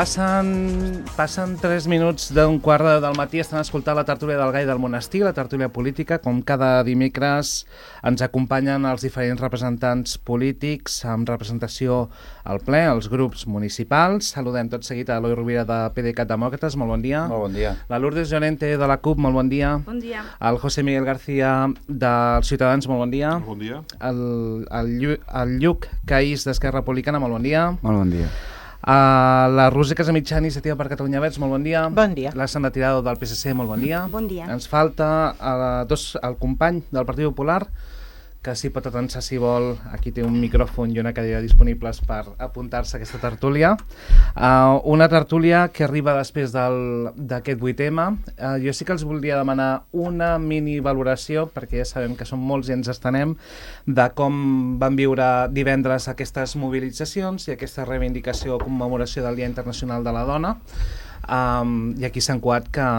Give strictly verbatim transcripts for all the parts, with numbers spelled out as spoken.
Passen, passen tres minuts d'un quart del matí, estan escoltant la tertúlia del Gai del Monestir, la tertúlia política. Com cada dimecres ens acompanyen els diferents representants polítics amb representació al ple, els grups municipals. Saludem tot seguit a l'Eloi Rovira de PDeCAT Demòcrates, molt bon dia. Molt bon dia. La Lourdes Llorente de la CUP, molt bon dia. Bon dia. El José Miguel García dels Ciutadans, molt bon dia. Bon dia. El, el, Llu, el Lluc Caís d'Esquerra Republicana, molt bon dia. Molt bon dia. Uh, la Roser Casamitjana, Iniciativa per Catalunya Verds, molt bon dia. Bon dia. La Sandra Tirado del P S C, molt bon dia. Bon dia. Ens falta uh, dos, el company del Partit Popular, que si pot atençar, si vol, aquí té un micròfon i una cadira disponibles per apuntar-se a aquesta tertúlia. Uh, una tertúlia que arriba després d'aquest vuit eme. Uh, jo sí que els voldria demanar una mini valoració, perquè ja sabem que som molts i ens estenem, de com van viure divendres aquestes mobilitzacions i aquesta reivindicació o commemoració del Dia Internacional de la Dona. Um, I aquí s'han cuat que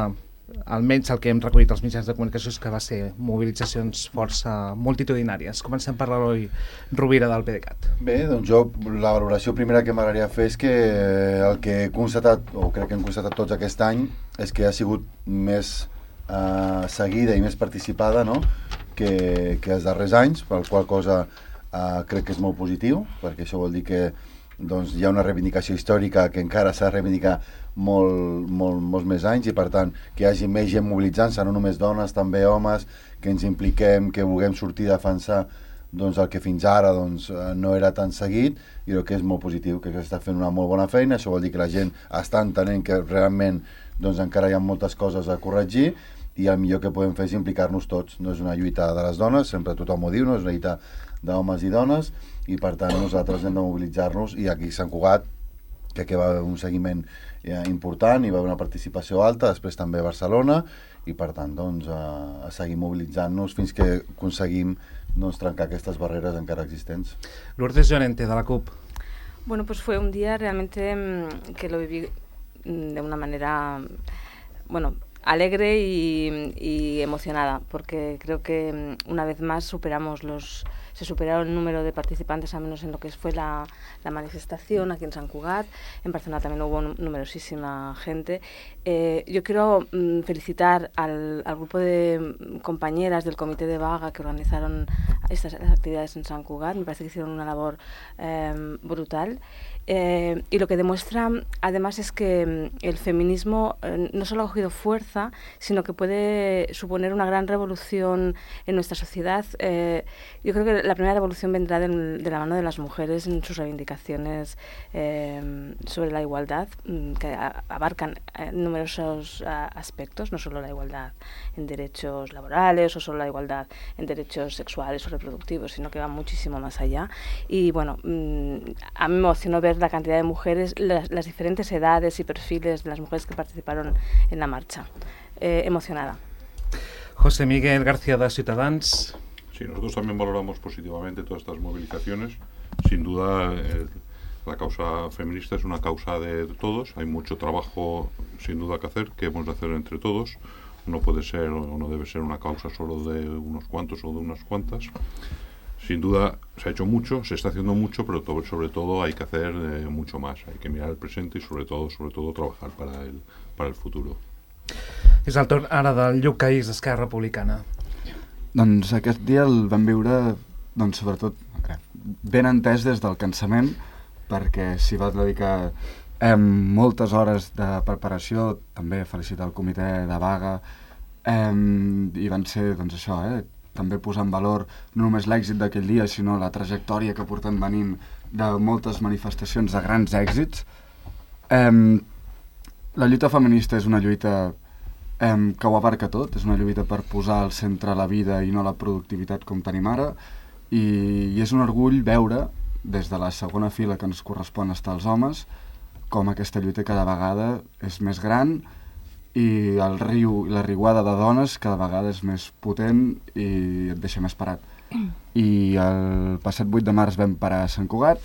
almenys el que hem recollit als mitjans de comunicació és que va ser mobilitzacions força multitudinàries. Comencem per l'Eloi Rovira del PDeCAT. Bé, doncs jo la valoració primera que m'agradaria fer és que el que he constatat, o crec que hem constatat tots aquest any, és que ha sigut més eh, seguida i més participada, no?, que, que els darrers anys, per qual cosa eh, crec que és molt positiu, perquè això vol dir que doncs, hi ha una reivindicació històrica que encara s'ha de reivindicar molt, molt, molts més anys, i per tant que hi hagi més gent mobilitzant-se, no només dones, també homes, que ens impliquem, que vulguem sortir a defensar doncs, el que fins ara doncs, no era tan seguit, i el que és molt positiu, que s'està fent una molt bona feina. Això vol dir que la gent està entenent que realment doncs, encara hi ha moltes coses a corregir, i el millor que podem fer és implicar-nos tots. No és una lluita de les dones, sempre tothom ho diu, no és una lluita d'homes i dones, i per tant nosaltres hem de mobilitzar-nos, i aquí a Sant Cugat, que aquí va haver un seguiment eh, important, hi va haver una participació alta, després també a Barcelona, i per tant doncs, a, a seguir mobilitzant-nos fins que aconseguim doncs, trencar aquestes barreres encara existents. Lourdes Llorente, de la CUP. Bueno, pues fue un día realmente que lo viví de una manera, bueno, alegre y, y emocionada, porque creo que una vez más superamos los, se superaron el número de participantes, al menos en lo que fue la, la manifestación aquí en Sant Cugat. En Barcelona también hubo numerosísima gente. Eh, yo quiero mm, felicitar al, al grupo de compañeras del Comité de Vaga que organizaron estas actividades en Sant Cugat. Me parece que hicieron una labor eh, brutal. Eh, y lo que demuestra además es que el feminismo eh, no solo ha cogido fuerza, sino que puede suponer una gran revolución en nuestra sociedad. Eh, yo creo que la primera revolución vendrá de, de la mano de las mujeres en sus reivindicaciones eh, sobre la igualdad, que a, abarcan eh, numerosos a, aspectos, no solo la igualdad en derechos laborales o solo la igualdad en derechos sexuales o reproductivos, sino que va muchísimo más allá. Y bueno, mm, a mí me emocionó ver la cantidad de mujeres, las, las diferentes edades y perfiles de las mujeres que participaron en la marcha. Eh, emocionada. José Miguel García de Ciutadans. Sí, nosotros también valoramos positivamente todas estas movilizaciones. Sin duda, eh, la causa feminista es una causa de todos. Hay mucho trabajo, sin duda, que hacer, que hemos de hacer entre todos. No puede ser o no debe ser una causa solo de unos cuantos o de unas cuantas. Sin duda se ha hecho mucho, se está haciendo mucho, pero to- sobre todo hay que hacer eh, mucho más. Hay que mirar el presente y sobre todo, sobre todo trabajar para el, para el futuro. És el torn ara del Lluc Caís d'Esquerra Republicana. Doncs aquest dia el vam viure, doncs, sobretot, ben entès des del cansament, perquè s'hi va dedicar eh, moltes hores de preparació, també felicitar el comitè de vaga, eh, i van ser, doncs això, eh, també posar en valor no només l'èxit d'aquell dia, sinó la trajectòria que portem venint de moltes manifestacions de grans èxits. Eh, la lluita feminista és una lluita eh, que ho abarca tot, és una lluita per posar al centre la vida i no la productivitat com tenim ara, i, i és un orgull veure, des de la segona fila que ens correspon estar els homes, com aquesta lluita cada vegada és més gran, i el riu, la riuada de dones cada vegada és més potent i et deixa més parat. I el passat vuit de març vam parar a Sant Cugat,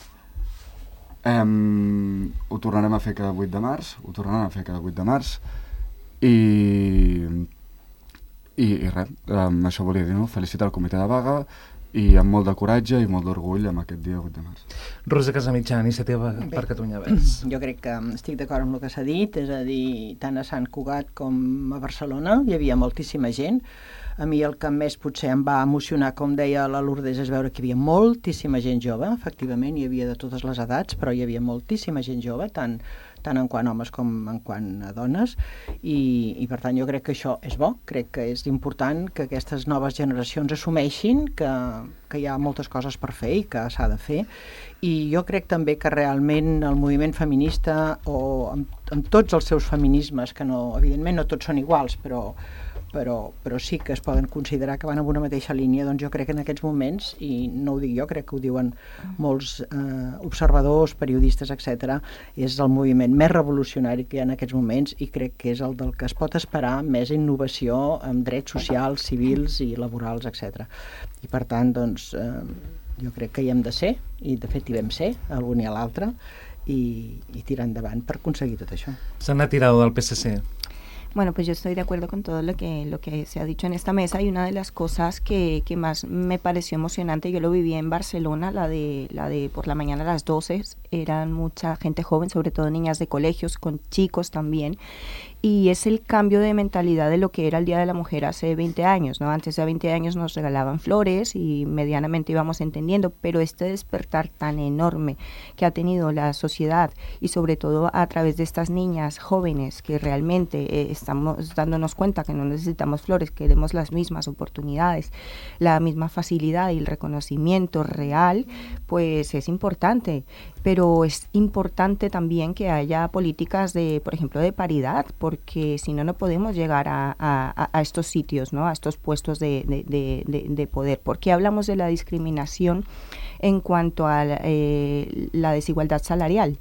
um, ho tornarem a fer cada vuit de març, ho tornarem a fer cada vuit de març, i, i, i res, um, això volia dir, no? Felicitar el comitè de vaga i amb molt de coratge i molt d'orgull amb aquest dia vuit de març. Rosa Casamitjà, Iniciativa per Catalunya Verds. Jo crec que estic d'acord amb el que s'ha dit, és a dir, tant a Sant Cugat com a Barcelona hi havia moltíssima gent. A mi el que més potser em va emocionar, com deia la Lourdes, és veure que hi havia moltíssima gent jove, efectivament, hi havia de totes les edats, però hi havia moltíssima gent jove, tant, tant en quant a homes com en quant a dones, i, i per tant jo crec que això és bo, crec que és important que aquestes noves generacions assumeixin que, que hi ha moltes coses per fer i que s'ha de fer, i jo crec també que realment el moviment feminista, o amb, amb tots els seus feminismes, que no, evidentment no tots són iguals, però Però, però sí que es poden considerar que van en una mateixa línia, doncs jo crec que en aquests moments, i no ho dic jo, crec que ho diuen molts eh, observadors, periodistes, etcètera, és el moviment més revolucionari que hi ha en aquests moments i crec que és el del que es pot esperar més innovació en drets socials, civils i laborals, etcètera. I per tant, doncs, eh, jo crec que hi hem de ser, i de fet hi vam ser, algun i a l'altre, i, i tirar endavant per aconseguir tot això. S'han tirado del P S C. Bueno, pues yo estoy de acuerdo con todo lo que, lo que se ha dicho en esta mesa, y una de las cosas que, que más me pareció emocionante, yo lo viví en Barcelona, la de, la de por la mañana a las doce, eran mucha gente joven, sobre todo niñas de colegios, con chicos también, y es el cambio de mentalidad de lo que era el Día de la Mujer hace veinte años, ¿no? Antes de veinte años nos regalaban flores y medianamente íbamos entendiendo, pero este despertar tan enorme que ha tenido la sociedad, y sobre todo a través de estas niñas jóvenes que realmente eh, estamos dándonos cuenta que no necesitamos flores, queremos las mismas oportunidades, la misma facilidad y el reconocimiento real, pues es importante. Pero es importante también que haya políticas de, por ejemplo, de paridad, porque si no, no podemos llegar a, a, a estos sitios, ¿no? A estos puestos de, de, de, de poder. ¿Por qué hablamos de la discriminación en cuanto a la, eh, la desigualdad salarial?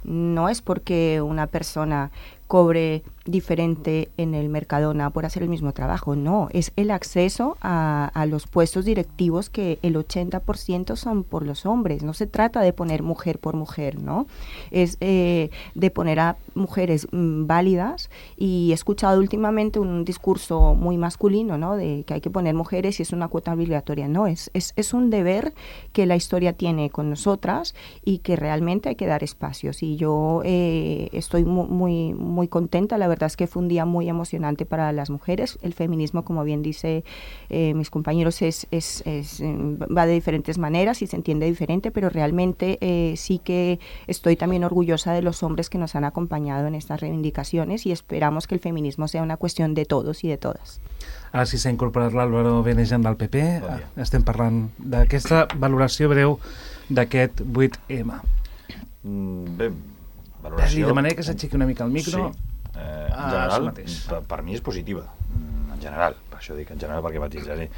No es porque una persona cobre diferente en el Mercadona por hacer el mismo trabajo, no, es el acceso a, a los puestos directivos, que el ochenta por ciento son por los hombres. No se trata de poner mujer por mujer, ¿no? Es eh, de poner a mujeres mm, válidas, y he escuchado últimamente un discurso muy masculino, ¿no? De que hay que poner mujeres y es una cuota obligatoria. No, es, es, es un deber que la historia tiene con nosotras y que realmente hay que dar espacios, y yo eh, estoy muy, muy, muy contenta. La verdad es que fue un día muy emocionante para las mujeres. El feminismo, como bien dice eh, mis compañeros, es, es, es, va de diferentes maneras y se entiende diferente, pero realmente eh, sí que estoy también orgullosa de los hombres que nos han acompañado en estas reivindicaciones, y esperamos que el feminismo sea una cuestión de todos y de todas. Ara sí s'ha incorporat l'Álvaro Benejan del P P. Bon Estem parlant d'aquesta valoració breu d'aquest vuit eme. Mm, bé, valoració... De manera que s'aixequi una mica el micro. Sí. Eh, en general, per, per mi és positiva, en general, per això dic en general perquè matisaré,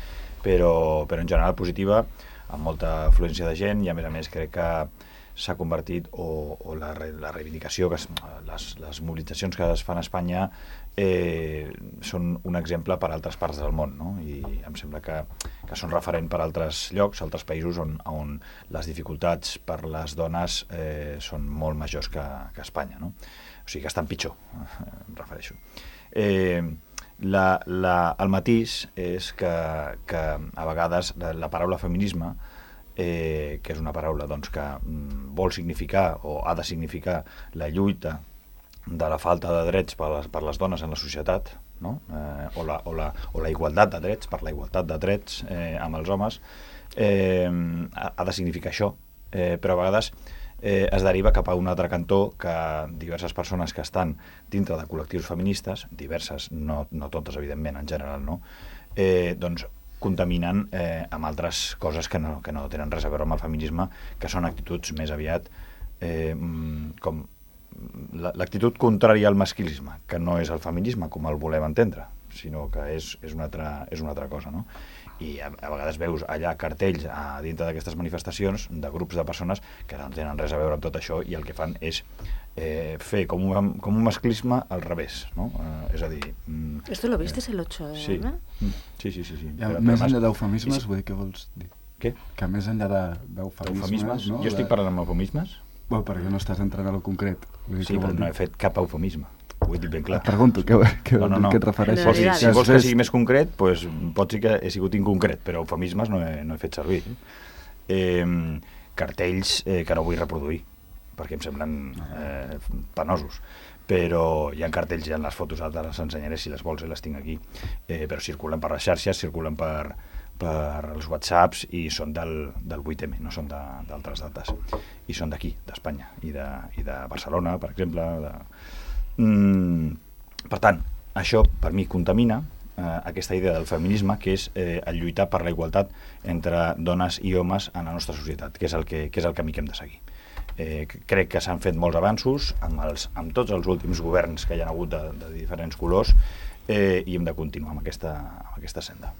però, però en general positiva, amb molta afluència de gent, i a més a més crec que s'ha convertit, o, o la, la reivindicació, que es, les, les mobilitzacions que es fan a Espanya eh, són un exemple per a altres parts del món, no? I em sembla que, que són referent per a altres llocs, altres països on, on les dificultats per les dones eh, són molt majors que, que a Espanya, no? O sigui que estan pitjor, em refereixo. Eh, la, la, el matís és que, que a vegades la, la paraula feminisme, eh, que és una paraula doncs, que mm, vol significar o ha de significar la lluita de la falta de drets per les, per les dones en la societat, no? eh, o, la, o, la, o la igualtat de drets, per la igualtat de drets eh, amb els homes, eh, ha, ha de significar això, eh, però a vegades eh, es deriva cap a un altre cantó, que diverses persones que estan dintre de col·lectius feministes, diverses, no, no totes evidentment, en general, no? eh, doncs contaminen eh, amb altres coses que no, que no tenen res a veure amb el feminisme, que són actituds més aviat eh, com l'actitud contrària al masclisme, que no és el feminisme com el volem entendre, sinó que és, és, una, altra, és una altra cosa, no? I a, a vegades veus allà cartells a dintre d'aquestes manifestacions de grups de persones que no tenen res a veure amb tot això, i el que fan és eh, fer com un, com un masclisme al revés, no? Eh, és a dir... Mm, ¿Esto lo viste eh, el ocho de sí. sí, sí, sí, sí. Ja, però, més enllà d'eufemismes, vull dir, què vols dir? Què? Que més enllà d'eufemismes... No? Jo estic parlant amb eufemismes? Bueno, perquè no estàs entrant a lo concret. Vull dir, sí, però no he fet cap eufemisme. ho he dit ben clar. Et pregunto, què, què, no, no, no. què et refereixes? Si, si vols que sigui més concret, pues, pot ser que he sigut inconcret, però eufemismes no he, no he fet servir. Eh, cartells eh, que no vull reproduir, perquè em semblen eh, penosos. Però hi ha cartells, hi ha les fotos, ara les ensenyaré si les vols, eh, les tinc aquí, eh, però circulen per les xarxes, circulen per, per els whatsapps i són del, del vuit eme, no són d'altres dates. I són d'aquí, d'Espanya, i de, i de Barcelona, per exemple. De... Mm, per tant, això per mi contamina eh, aquesta idea del feminisme, que és eh, el lluitar per la igualtat entre dones i homes en la nostra societat, que és el, que, que és el camí que hem de seguir. Eh, crec que s'han fet molts avanços amb, els, amb tots els últims governs que hi ha hagut de, de diferents colors eh, i hem de continuar amb aquesta, amb aquesta senda.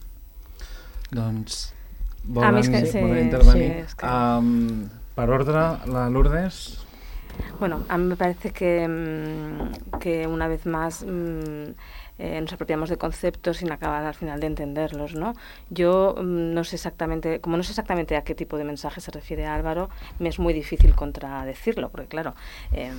Doncs volen, que, sí, volen intervenir. Sí, es que... um, per ordre, la Lourdes. Bueno, a mí me parece que, que una vez más mmm, eh, nos apropiamos de conceptos sin acabar al final de entenderlos, ¿no? Yo mmm, no sé exactamente, como no sé exactamente a qué tipo de mensaje se refiere Álvaro, me es muy difícil contradecirlo, porque claro, eh,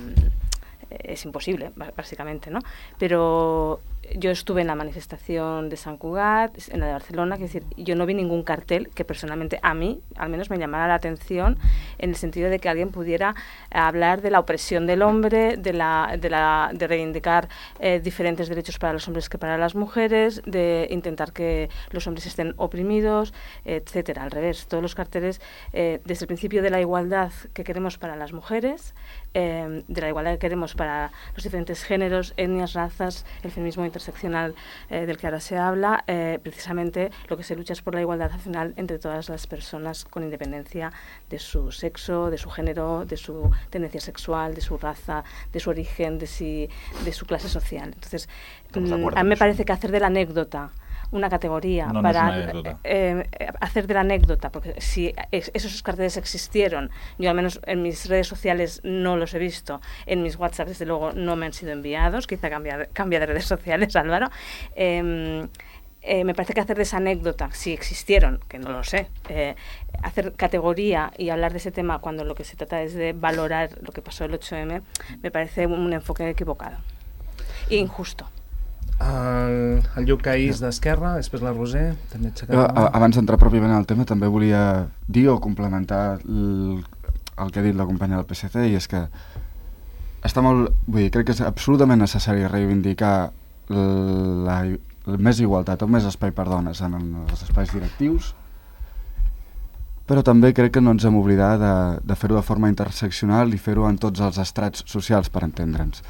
es imposible, básicamente, ¿no? Pero yo estuve en la manifestación de Sant Cugat, en la de Barcelona, que es decir, yo no vi ningún cartel que personalmente a mí, al menos me llamara la atención, en el sentido de que alguien pudiera hablar de la opresión del hombre, de, la, de, la, de reivindicar eh, diferentes derechos para los hombres que para las mujeres, de intentar que los hombres estén oprimidos, etcétera. Al revés, todos los carteles, eh, desde el principio de la igualdad que queremos para las mujeres, eh, de la igualdad que queremos para los diferentes géneros, etnias, razas, el feminismo interseccional eh, del que ahora se habla, eh, precisamente lo que se lucha es por la igualdad al final entre todas las personas con independencia de su sexo, de su género, de su tendencia sexual, de su raza, de su origen, de, si, de su clase social. Entonces, mmm, a mí me parece que hacer de la anécdota una categoría no, para no es eh, eh, hacer de la anécdota, porque si es, esos carteles existieron, yo al menos en mis redes sociales no los he visto, en mis WhatsApp desde luego no me han sido enviados, quizá cambia, cambia de redes sociales, Álvaro. Eh, eh, me parece que hacer de esa anécdota, si existieron, que no lo sé, eh, hacer categoría y hablar de ese tema cuando lo que se trata es de valorar lo que pasó el ocho eme, me parece un, un enfoque equivocado e injusto. El, el Lluc Caís d'Esquerra, després la Roser, també jo, abans d'entrar pròpiament al tema, també volia dir o complementar el, el que ha dit la companya del P S C, i és que està molt, vull dir, crec que és absolutament necessari reivindicar la, la més igualtat o més espai per dones en els espais directius, però també crec que no ens hem d'oblidar de, de fer-ho de forma interseccional i fer-ho en tots els estrats socials, per entendre'ns.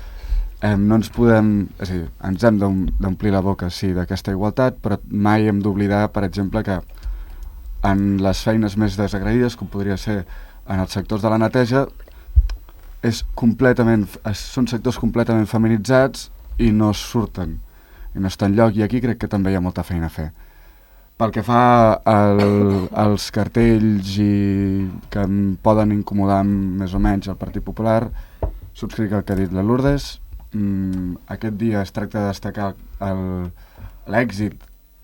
Eh, no ens podem, és a dir, ens hem d'omplir la boca, sí, d'aquesta igualtat, però mai hem d'oblidar, per exemple, que en les feines més desagraïdes, com podria ser en els sectors de la neteja, és completament, són sectors completament feminitzats i no surten, i no estan enlloc, i aquí crec que també hi ha molta feina a fer. Pel que fa al, als cartells i que em poden incomodar més o menys el Partit Popular, subscric el que ha dit la Lourdes. Mm, aquest dia es tracta de destacar l'èxit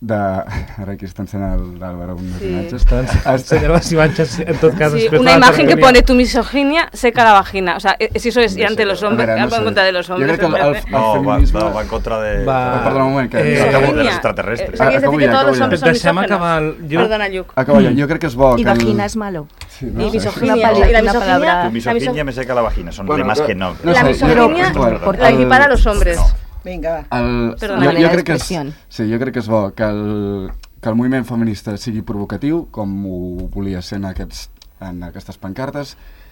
de... Ara aquí està ensenyant l'Àlvaro unes sí. imatges. Està ensenyant las imatges, en tot cas... Sí, una imagen que pone tu misoginia seca la vagina. O sea, si eso es no ante sé, los hombres, veure, no va en contra de los hombres. Jo crec que el, el, el no, feminisme... va, no, va en contra de... Va... Perdona un moment, que... Eh, acabo de los extraterrestres. Eh, ¿Quieres decir que todos los hombres son misógenos? Acabar el... Perdona, Lluc. Acabo ja, jo crec que és bo... Y que vagina el... es malo. Sí, no? Y misoginia. Una Y la una misoginia... palabra... Tu misoginia me seca la vagina, son Bueno, lemas no, que no... no La sé, misoginia jo- la equipara a los hombres. No. Vinga, va. El, Perdona, jo, manera jo, crec que és, d'expressió. sí, jo crec que és bo que el, que el moviment feminista sigui provocatiu, com ho volia ser en, aquests, en aquestes pancartes.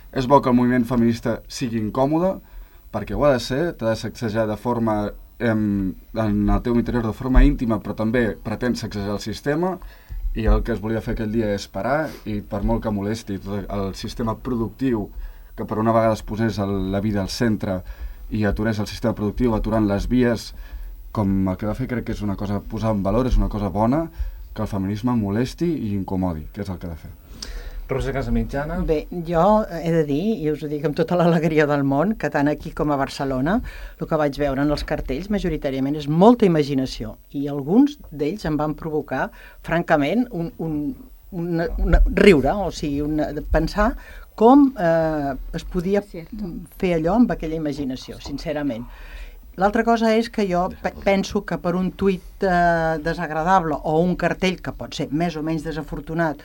És bo que el moviment feminista sigui incòmode, perquè ho ha de ser, t'ha de sacsejar de forma, em, en el teu interior de forma íntima, però també pretén sacsejar el sistema, i el que es volia fer aquell dia és parar, i per molt que molesti tot el sistema productiu, que per una vegada es posés el, la vida al centre, i aturés el sistema productiu aturant les vies, com el que va fer crec que és una cosa posar en valor, és una cosa bona, que el feminisme molesti i incomodi, que és el que ha de fer. Roser Casamitjana. Bé, jo he de dir, i us ho dic amb tota l'alegria del món, que tant aquí com a Barcelona el que vaig veure en els cartells majoritàriament és molta imaginació, i alguns d'ells em van provocar, francament, un, un, una, una, riure, o sigui, una, pensar com eh, es podia fer allò amb aquella imaginació, sincerament. L'altra cosa és que jo pe penso que per un tuit eh, desagradable o un cartell que pot ser més o menys desafortunat,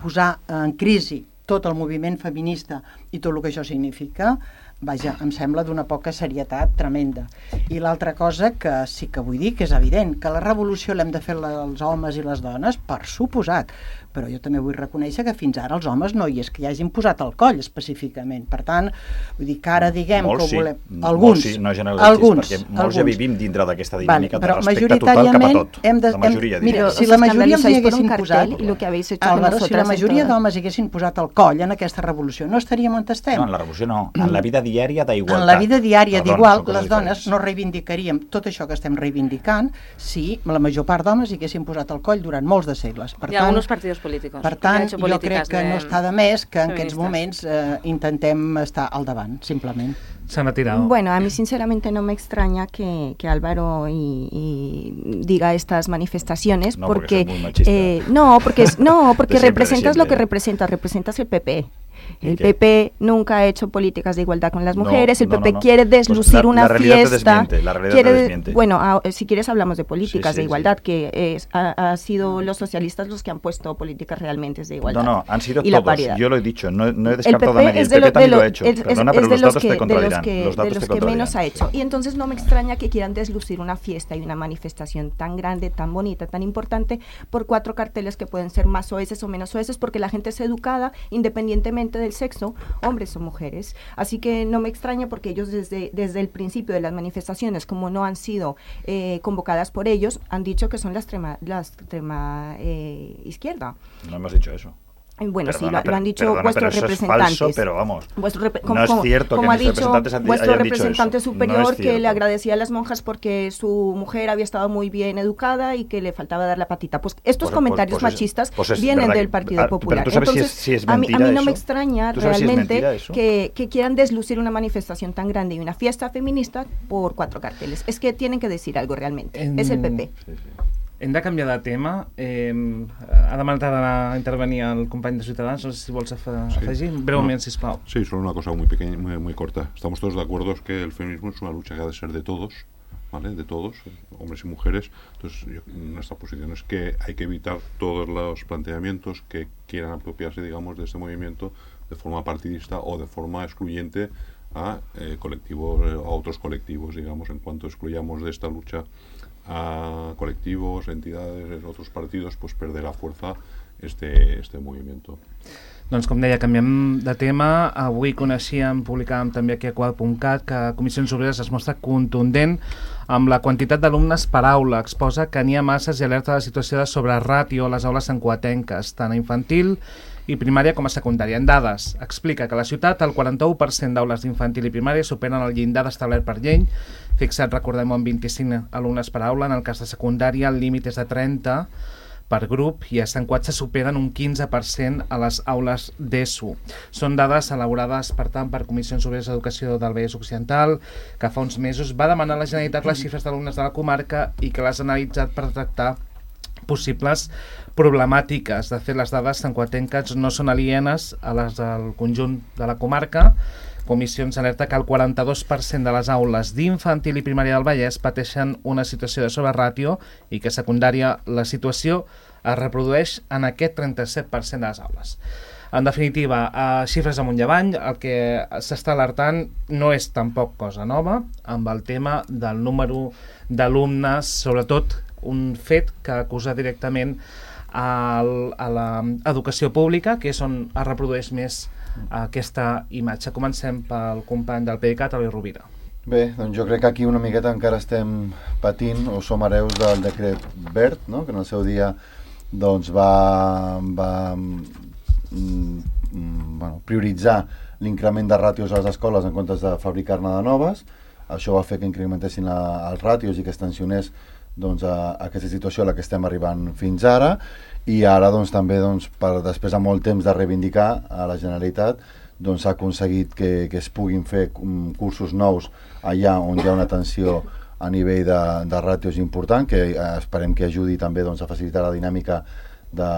posar en crisi tot el moviment feminista i tot el que això significa, vaja, em sembla d'una poca serietat tremenda. I l'altra cosa que sí que vull dir, que és evident, que la revolució l'hem de fer els homes i les dones, per suposat, però jo també vull reconèixer que fins ara els homes no hi és que hi hagin posat al coll específicament. Per tant, vull dir que ara diguem molts que ho volem... Sí, alguns, sí, no generalitzis, alguns, perquè molts alguns. ja vivim dintre d'aquesta dinàmica vale, de respecte total cap a tot. Hem de, la majoria, hem, mira, diria. si la majoria els hi haguessin posat, posat... Álvaro, si la majoria d'homes hi haguessin posat al coll en aquesta revolució, no estaríem on estem. No, en la revolució no, en la vida diària d'igualtat. En la vida diària d'igual, les dones diferents. no reivindicaríem tot això que estem reivindicant si la major part d'homes hi haguessin posat al coll durant molts de segles. Per Hi ha tant, alguns partits polítics. Per tant, jo crec que no està de més que en aquests moments eh, intentem estar al davant, simplement. Se han tirado. Bueno, a mí sinceramente no me extraña que, que Álvaro y, y diga estas manifestaciones no, porque, porque muy machista. eh, no, porque es, no, porque de siempre, representas de lo que siempre. representas, representas el P P. El ¿Qué? P P nunca ha hecho políticas de igualdad con las mujeres, No, el no, P P no, no. quiere deslucir Pues la, una la realidad fiesta. Te desmiente, la realidad quiere, te desmiente. Bueno, a, si quieres hablamos de políticas Sí, sí, de igualdad, sí. que es, ha, ha sido los socialistas los que han puesto políticas realmente de igualdad. No, no, han sido y la todos. paridad. Yo lo he dicho, no, no he El descartado P a P nadie. es El de, P P lo, de, también lo, lo ha hecho. es, es, Perdona, es pero de los los datos que, te de los contradirán. que, Los de datos los te que menos ha contradirán. hecho. Y entonces no me extraña que quieran deslucir una fiesta y una manifestación tan grande, tan bonita, tan importante, por cuatro carteles que pueden ser más soeces o menos soeces, porque la gente es educada independientemente del sexo, hombres o mujeres. Así que no me extraña porque ellos desde, desde el principio de las manifestaciones, como no han sido eh, convocadas por ellos, han dicho que son la extrema, la extrema eh, izquierda. No hemos dicho eso. Bueno, Perdona, sí, lo, lo han dicho perdona, vuestros pero eso representantes. Es falso, pero vamos, Vuestro rep no es cierto como que ha dicho representantes han, vuestro hayan representante dicho eso. superior No es que cierto. le agradecía a las monjas porque su mujer había estado muy bien educada y que le faltaba dar la patita. Pues estos Pues, comentarios pues, pues machistas es, pues es vienen verdad del que, Partido ah, Popular. Pero tú sabes Entonces, si es, si es a mí, mentira a mí no eso. me extraña ¿Tú sabes si es realmente mentira eso? que, que quieran deslucir una manifestación tan grande y una fiesta feminista por cuatro carteles. Es que tienen que decir algo realmente. En... Es el P P. Sí, sí. Hem de canviar de tema. Eh, ha demanat a intervenir el company de Ciutadans. No sé si vols afegir. Sí. Breument, no. sisplau. Sí, solo una cosa muy pequeña, muy, muy corta. Estamos todos de acuerdo que el feminismo es una lucha que ha de ser de todos, ¿vale? De todos, hombres y mujeres. Entonces, yo, nuestra posición es que hay que evitar todos los planteamientos que quieran apropiarse, digamos, de este movimiento de forma partidista o de forma excluyente a eh, colectivos, a otros colectivos, digamos, en cuanto excluyamos de esta lucha a colectivos, entidades, otros partidos, pues perderá fuerza este, este movimiento. Doncs com deia, canviem de tema. Avui coneixíem, publicàvem també aquí a quad punt cat que Comissions Obreres es mostra contundent amb la quantitat d'alumnes per aula. Exposa que n'hi ha masses i alerta de la situació de sobreràtio a les aules sancoatenques, tant a infantil i primària com a secundària. En dades, explica que a la ciutat el quaranta-u per cent d'aules d'infantil i primària superen el llindar establert per llei, fixat, recordem, amb vint-i-cinc alumnes per aula. En el cas de secundària el límit és de trenta per grup i a Sant Cugat se superen un quinze per cent a les aules d'ESO. Són dades elaborades, per tant, per Comissions Obreres d'Educació del Vallès Occidental, que fa uns mesos va demanar a la Generalitat les xifres d'alumnes de la comarca i que les ha analitzat per tractar possibles problemàtiques. De fet, les dades santcuatenques no són alienes a les del conjunt de la comarca. Comissions alerta que el quaranta-dos per cent de les aules d'infantil i primària del Vallès pateixen una situació de sobreràtio i que a secundària la situació es reprodueix en aquest trenta-set per cent de les aules. En definitiva, a xifres amunt i avall, el que s'està alertant no és tampoc cosa nova amb el tema del número d'alumnes, sobretot un fet que acusa directament al, a l'educació pública, que és on es reprodueix més aquesta imatge. Comencem pel company del PDeCAT, Eloi Rovira. Bé, doncs jo crec que aquí una miqueta encara estem patint o som hereus del decret verd, no? Que en el seu dia doncs, va, va mm, bueno, prioritzar l'increment de ràtios a les escoles en comptes de fabricar-ne de noves. Això va fer que incrementessin la, els ràtios i que es tensionés doncs, a, a aquesta situació a la que estem arribant fins ara. I ara doncs, també doncs, per, després de molt temps de reivindicar a la Generalitat doncs, s'ha aconseguit que, que es puguin fer um, cursos nous allà on hi ha una tensió a nivell de, de ràtios important, que eh, esperem que ajudi també doncs, a facilitar la dinàmica de,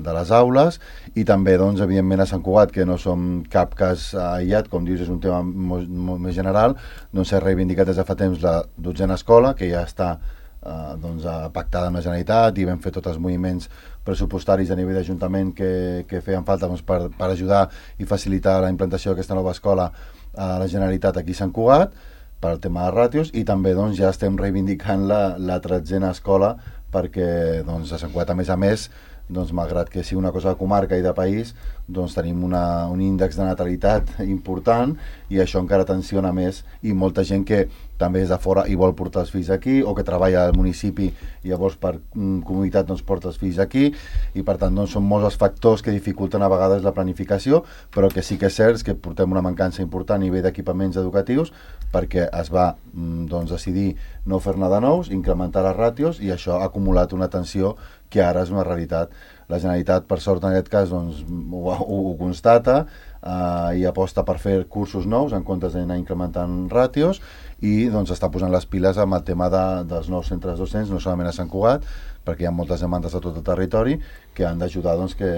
de les aules, i també, doncs, evidentment, a Sant Cugat, que no som cap cas aïllat, com dius, és un tema molt, molt més general, doncs s'ha reivindicat des de fa temps la dotzena escola, que ja està eh, doncs, pactada amb la Generalitat, i vam fer tots els moviments pressupostaris a nivell d'Ajuntament que, que feien falta doncs, per, per ajudar i facilitar la implantació d'aquesta nova escola a la Generalitat aquí a Sant Cugat, per al tema de ràtios, i també doncs, ja estem reivindicant la, la tretzena escola, perquè doncs, a Sant Cugat, a més a més, doncs, malgrat que sigui una cosa de comarca i de país, doncs tenim una, un índex de natalitat important, i això encara tensiona més, i molta gent que també és de fora i vol portar els fills aquí, o que treballa al municipi i llavors per mm, comunitat doncs, porta els fills aquí, i per tant doncs, són molts els factors que dificulten a vegades la planificació, però que sí que és cert que portem una mancança important a nivell d'equipaments educatius, perquè es va mm, doncs, decidir no fer-ne de nous, incrementar les ràtios, i això ha acumulat una tensió que ara és una realitat. La Generalitat, per sort, en aquest cas, doncs, ho, ho, ho constata eh, i aposta per fer cursos nous en comptes d'anar incrementant ràtios, i doncs, està posant les piles amb el tema de, dels nous centres docents, no solament a Sant Cugat, perquè hi ha moltes demandes a tot el territori que han d'ajudar doncs, que,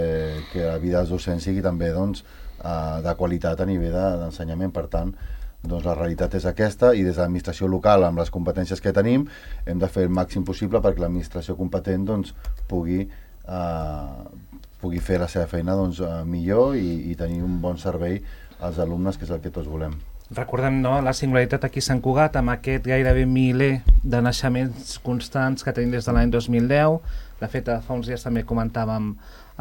que la vida dels docents sigui també doncs, eh, de qualitat a nivell d'ensenyament. Per tant, doncs la realitat és aquesta, i des de l'administració local, amb les competències que tenim, hem de fer el màxim possible perquè l'administració competent doncs, pugui, eh, pugui fer la seva feina doncs, eh, millor i, i tenir un bon servei als alumnes, que és el que tots volem. Recordem, no, la singularitat aquí a Sant Cugat, amb aquest gairebé miler de naixements constants que tenim des de l'any dos mil deu. De fet, fa uns dies també comentàvem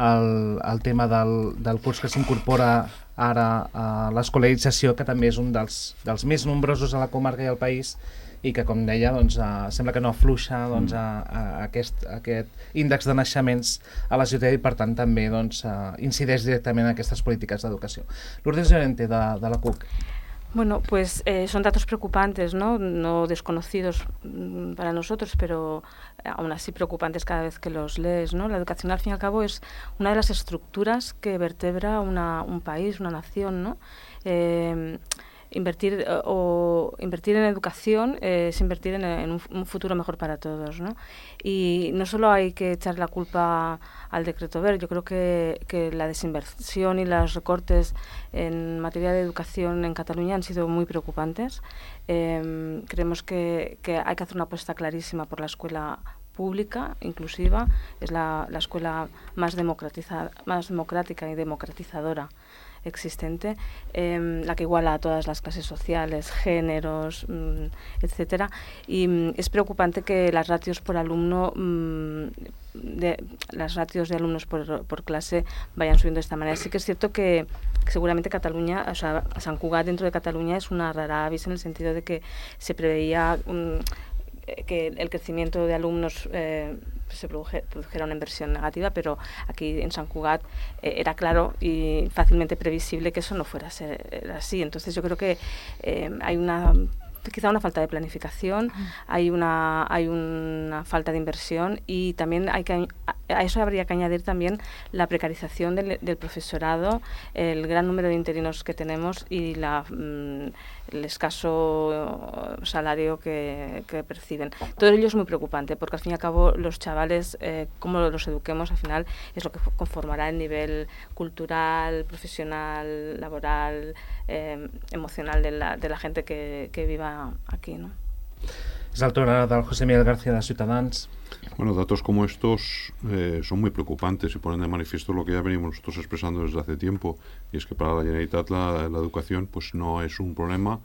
el, el tema del, del curs que s'incorpora ara a l'escolarització, que també és un dels, dels més nombrosos a la comarca i al país, i que, com deia, doncs, uh, sembla que no afluixa doncs, a, a aquest, a aquest índex de naixements a la ciutat, i per tant també doncs, uh, incideix directament en aquestes polítiques d'educació. Lourdes Llorente, de, de la C U C. Bueno, pues eh, son datos preocupantes, ¿no? No desconocidos mm, para nosotros, pero eh, aún así preocupantes cada vez que los lees, ¿no? La educación, al fin y al cabo, es una de las estructuras que vertebra una, un país, una nación, ¿no? Eh, invertir eh, o invertir en educación eh, es invertir en, en un, un futuro mejor para todos, ¿no? Y no solo hay que echar la culpa al decreto ver, yo creo que, que la desinversión y los recortes en materia de educación en Cataluña han sido muy preocupantes. Eh, creemos que, que hay que hacer una apuesta clarísima por la escuela pública, inclusiva, es la, la escuela más, democratiza, más democrática y democratizadora existente, eh, la que iguala a todas las clases sociales, géneros, mmm, etcétera. Y mmm, es preocupante que las ratios por alumno, mmm, de, las ratios de alumnos por, por clase vayan subiendo de esta manera. Sí que es cierto que, que seguramente Cataluña, o sea, Sant Cugat dentro de Cataluña es una rara avis en el sentido de que se preveía mmm, que el crecimiento de alumnos eh, se produjera una inversión negativa, pero aquí en Sant Cugat eh, era claro y fácilmente previsible que eso no fuera a ser así. Entonces yo creo que eh, hay una quizá una falta de planificación, hay una hay una falta de inversión, y también hay que a eso habría que añadir también la precarización del, del profesorado, el gran número de interinos que tenemos y la, mm, el escaso salario que, que perciben. Todo ello es muy preocupante, porque al fin y al cabo los chavales, eh, como los eduquemos, al final es lo que conformará el nivel cultural, profesional, laboral, eh, emocional de la, de la gente que, que viva aquí, ¿no? Es el turno del José Miguel García de Ciutadans. Bueno, datos como estos eh, son muy preocupantes y ponen de manifiesto lo que ya venimos nosotros expresando desde hace tiempo, y es que para la Generalitat la, la educación pues no es un problema,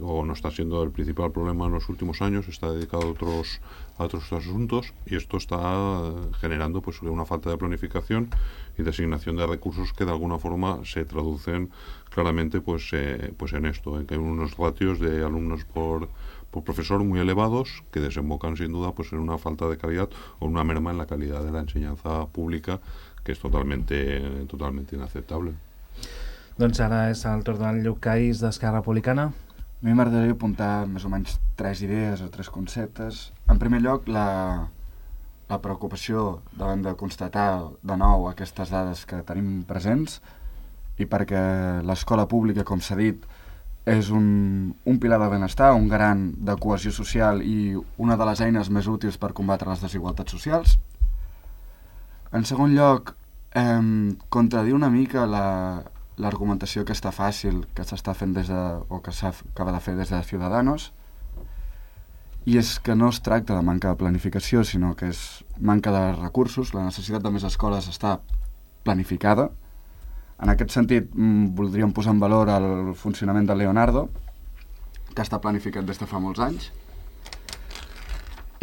o no está siendo el principal problema en los últimos años, está dedicado a otros, a otros asuntos, y esto está generando pues una falta de planificación y de asignación de recursos que de alguna forma se traducen claramente pues, eh, pues en esto, en que hay unos ratios de alumnos por por profesor muy elevados que desembocan sin duda pues en una falta de calidad o una merma en la calidad de la enseñanza pública, que és totalmente, totalmente inaceptable. Doncs ara és el torn del Lluc Caís d'Esquerra Republicana. A mi m'agradaria apuntar més o menys tres idees o tres conceptes. En primer lloc, la, la preocupació davant de constatar de nou aquestes dades que tenim presents, i perquè l'escola pública, com s'ha dit, és un, un pilar de benestar, un garant de cohesió social i una de les eines més útils per combatre les desigualtats socials. En segon lloc, eh, contradir una mica la, l'argumentació que està fàcil, que s'està fent des de, o que s'acaba de fer des de Ciudadanos, i és que no es tracta de manca de planificació, sinó que és manca de recursos. La necessitat de més escoles està planificada. En aquest sentit, voldríem posar en valor el funcionament de Leonardo, que està planificat des de fa molts anys.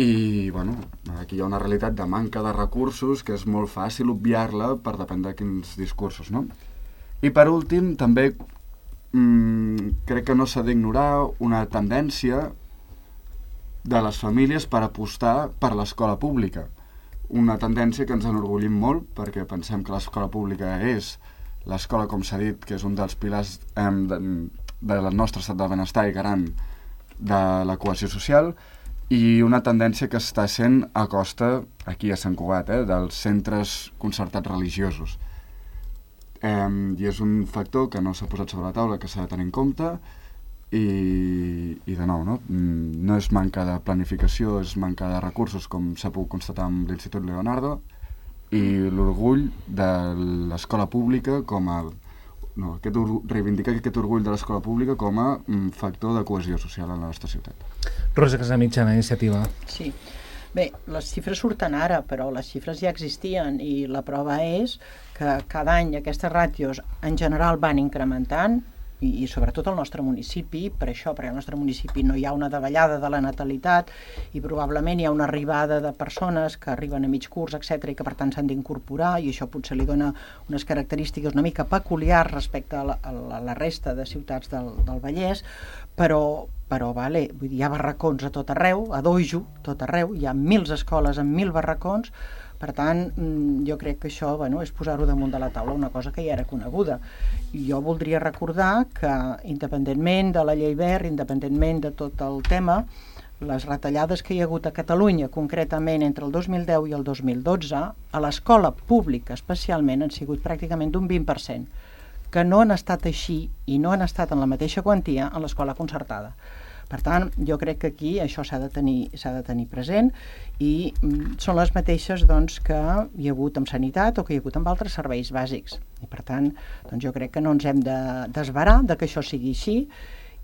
I, bueno, aquí hi ha una realitat de manca de recursos que és molt fàcil obviar-la per depèn de quins discursos, no? I per últim, també mmm, crec que no s'ha d'ignorar una tendència de les famílies per apostar per l'escola pública. Una tendència que ens enorgullim molt, perquè pensem que l'escola pública és l'escola, com s'ha dit, que és un dels pilars eh, de, del nostre estat del benestar i garant de la cohesió social, i una tendència que està sent a costa, aquí a Sant Cugat, eh, dels centres concertats religiosos. Eh, I és un factor que no s'ha posat sobre la taula, que s'ha de tenir en compte, i, i de nou, no? No és manca de planificació, és manca de recursos, com s'ha pogut constatar amb l'Institut Leonardo, i l'orgull de l'escola pública com a... No, aquest, reivindicar aquest orgull de l'escola pública com a um, factor de cohesió social en la nostra ciutat. Rosa Casamitjana, Iniciativa. Sí. Bé, les xifres surten ara, però les xifres ja existien i la prova és que cada any aquestes ràtios en general van incrementant i, i sobretot al nostre municipi, per això, perquè al nostre municipi no hi ha una davallada de la natalitat i probablement hi ha una arribada de persones que arriben a mig curs, etcètera, i que per tant s'han d'incorporar, i això potser li dona unes característiques una mica peculiars respecte a la, a la resta de ciutats del, del Vallès, però, però vale, vull dir, hi ha barracons a tot arreu, a Dojo, tot arreu, hi ha mils escoles amb mil barracons. Per tant, jo crec que això, bueno, és posar-ho damunt de la taula, una cosa que ja era coneguda. I jo voldria recordar que, independentment de la llei Wert, independentment de tot el tema, les retallades que hi ha hagut a Catalunya, concretament entre el dos mil deu i el dos mil dotze, a l'escola pública especialment han sigut pràcticament d'un vint per cent, que no han estat així i no han estat en la mateixa quantia en l'escola concertada. Per tant, jo crec que aquí això s'ha de tenir, s'ha de tenir present i mm, són les mateixes doncs, que hi ha hagut amb sanitat o que hi ha hagut amb altres serveis bàsics. I per tant, doncs, jo crec que no ens hem de desverar de que això sigui així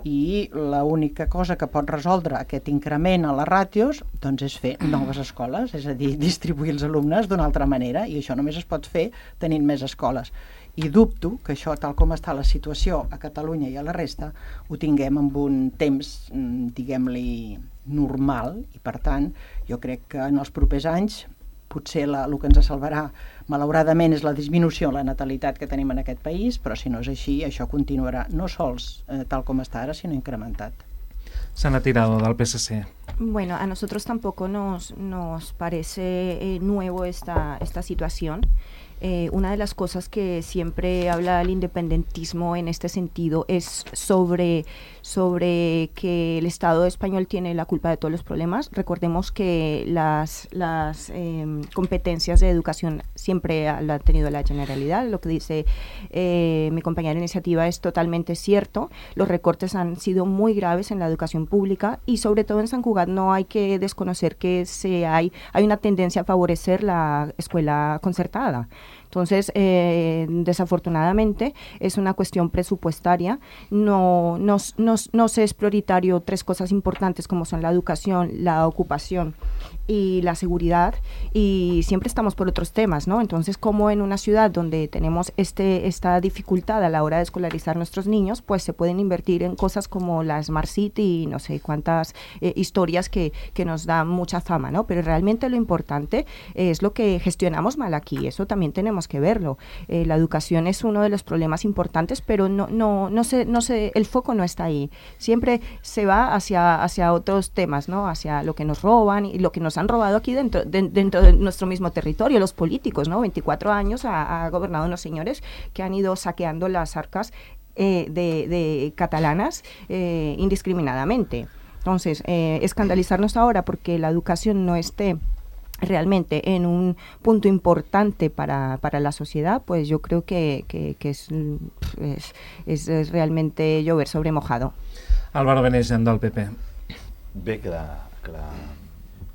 i l'única cosa que pot resoldre aquest increment a les ràtios doncs, és fer noves escoles, és a dir, distribuir els alumnes d'una altra manera, i això només es pot fer tenint més escoles. I dubto que això, tal com està la situació a Catalunya i a la resta, ho tinguem amb un temps, diguem-li, normal, i per tant, jo crec que en els propers anys potser la, el que ens salvarà, malauradament, és la disminució en la natalitat que tenim en aquest país, però si no és així, això continuarà no sols eh, tal com està ara, sinó incrementat. Sana Tirado, del P S C. Bueno, a nosotros tampoco nos, nos parece eh, nuevo esta, esta situación. Eh, una de las cosas que siempre habla el independentismo en este sentido es sobre, sobre que el Estado español tiene la culpa de todos los problemas. Recordemos que las, las eh, competencias de educación siempre la ha tenido la Generalidad. Lo que dice eh, mi compañera de Iniciativa es totalmente cierto. Los recortes han sido muy graves en la educación pública y sobre todo en Sant Cugat no hay que desconocer que se hay, hay una tendencia a favorecer la escuela concertada. Entonces, eh, desafortunadamente, es una cuestión presupuestaria. No, no, no, no se es prioritario tres cosas importantes como son la educación, la ocupación y la seguridad, y siempre estamos por otros temas, ¿no? Entonces, como en una ciudad donde tenemos este, esta dificultad a la hora de escolarizar a nuestros niños, pues se pueden invertir en cosas como la Smart City y no sé cuántas eh, historias que, que nos dan mucha fama, ¿no? Pero realmente lo importante es lo que gestionamos mal aquí, eso también tenemos que verlo. Eh, la educación es uno de los problemas importantes, pero no, no, no sé, no sé, el foco no está ahí. Siempre se va hacia, hacia otros temas, ¿no? Hacia lo que nos roban y lo que nos han robado aquí dentro de, dentro de nuestro mismo territorio, los políticos, ¿no? veinticuatro años ha, ha gobernado unos señores que han ido saqueando las arcas eh, de, de catalanas eh, indiscriminadamente. Entonces, eh, escandalizarnos ahora porque la educación no esté realmente en un punto importante para, para la sociedad, pues yo creo que, que, que es, es, es, es realmente llover sobre mojado. Álvaro Beneixen, del P P. Bé, que la, que la,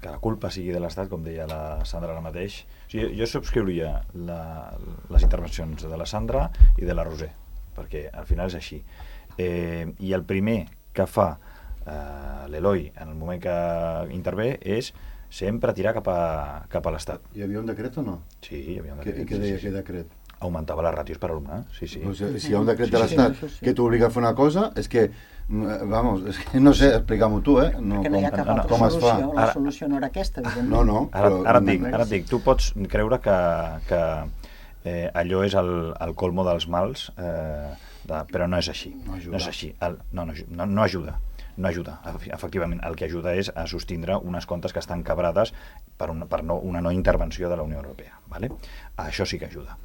que la culpa sigui de l'Estat, com deia la Sandra ara mateix. O sigui, jo subscriuria la, les intervencions de la Sandra i de la Roser, perquè al final és així. Eh, I el primer que fa eh, l'Eloi en el moment que intervé és sempre tirar cap a, cap a l'Estat. Hi havia un decret o no? Sí, hi havia un decret. I què deia sí, sí. aquest decret? Augmentava les ràtios per alumne, sí, sí. Pues, si hi ha un decret de sí, l'Estat sí, sí. que t'obliga a fer una cosa, és que, vamos, és que no sé, explica-m'ho tu, eh? No, que no hi ha com, cap altra com es fa. solució, la solució no era aquesta, evidentment. No, no. Ara, però- ara, et dic, ara et dic, tu pots creure que, que eh, allò és el, el colmo dels mals, eh, de, però no és així. No ajuda. No és així. El, no, no, no, no ajuda. No ajuda, efectivament. El que ajuda és a sostindre unes comptes que estan quebrades per, una, per no, una no intervenció de la Unió Europea. ¿Vale? Això sí que ajuda.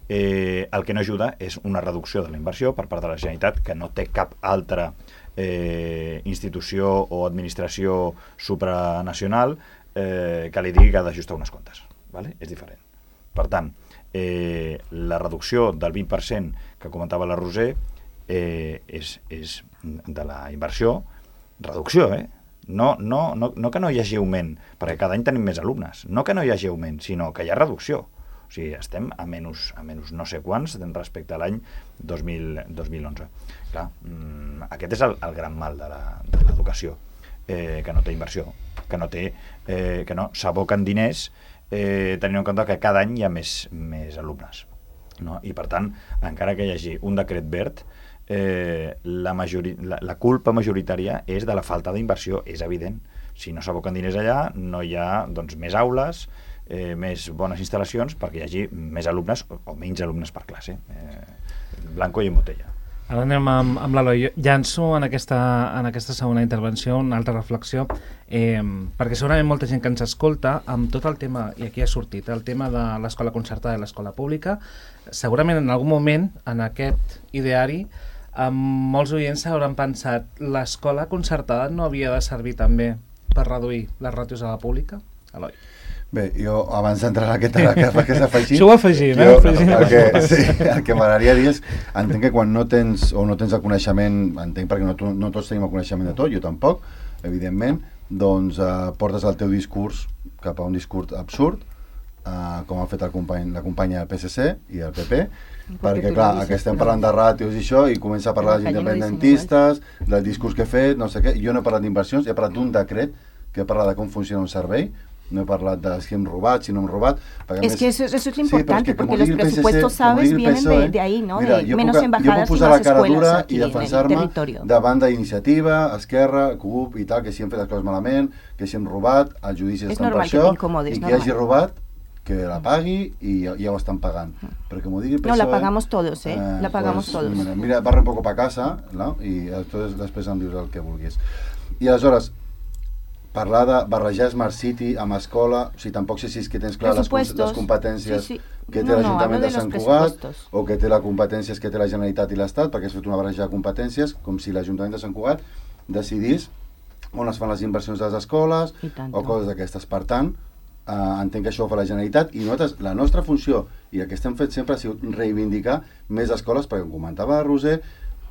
Eh, el que no ajuda és una reducció de la inversió per part de la Generalitat, que no té cap altra eh, institució o administració supranacional eh, que li digui que ha d'ajustar unes comptes. ¿Vale? És diferent. Per tant, eh, la reducció del vint per cent que comentava la Roser eh, és, és de la inversió, reducció, eh? No, no, no, no que no hi hagi augment, perquè cada any tenim més alumnes, no que no hi hagi augment, sinó que hi ha reducció. O sigui, estem a menys, a menys no sé quants respecte a l'any dos mil onze. Clar, mmm, aquest és el, el gran mal de l'educació, eh, que no té inversió, que no té, eh, que no s'aboquen diners eh, tenint en compte que cada any hi ha més, més alumnes. No? I per tant, encara que hi hagi un decret verd, eh, la, majori, la, la culpa majoritària és de la falta d'inversió, és evident. Si no s'aboquen diners allà, no hi ha doncs, més aules, eh, més bones instal·lacions perquè hi hagi més alumnes o, o menys alumnes per classe. Eh, blanco i en botella. Ara anem amb, amb l'Eloi. Llanço en aquesta, en aquesta segona intervenció una altra reflexió, eh, perquè segurament molta gent que ens escolta, amb tot el tema, i aquí ha sortit, el tema de l'escola concertada i l'escola pública, segurament en algun moment, en aquest ideari, amb molts oients s'hauran pensat l'escola concertada no havia de servir també per reduir les ràtios a la pública? Eloi. Bé, jo abans d'entrar en aquest que, que s'ha afegit... Això ho afegim, eh? Jo, el que, sí, el que m'agradaria dir és, entenc que quan no tens o no tens el coneixement, entenc perquè no, no tots tenim el coneixement de tot, jo tampoc, evidentment, doncs eh, portes el teu discurs cap a un discurs absurd, eh, com ha fet el company, la companya del P S C i el P P, perquè clar, que estem parlant de ràtios i això, i comença a parlar dels independentistes, del discurs que he fet, no sé què, jo no he parlat d'inversions, he parlat d'un decret que parla de com funciona un servei, no he parlat de si hem robat, si no hem robat. Es més, que eso, eso es lo importante, sí, porque los presupuestos, sabes, vienen de, de ahí, ¿no? Mira, de menos puc, embajadas y más escuelas aquí en el territorio. Davant d'Iniciativa, Esquerra, C U P i tal, que si hem fet les coses malament, que si hem robat, els judicis estan per això, i qui hagi robat, que la pagui i ja, ja ho estan pagant. Però que m'ho digui el P S O E... No, la pagamos todos, ¿eh? eh la pagamos pues, todos. Mira, mira, barra un poco pa casa, no? I després, després em dius el que vulguis. I aleshores, parlar de barrejar Smart City amb escola, o sigui, tampoc sé si és que tens clar les, les competències sí, sí. que té no, l'Ajuntament no, de Sant Cugat o que té les competències que té la Generalitat i l'Estat, perquè has fet una barreja de competències, com si l'Ajuntament de Sant Cugat decidís on es fan les inversions de les escoles o coses d'aquestes. Per tant, eh, entenc que això ho fa la Generalitat i nosaltres, la nostra funció i el que estem fet sempre ha sigut reivindicar més escoles, perquè com comentava Roser,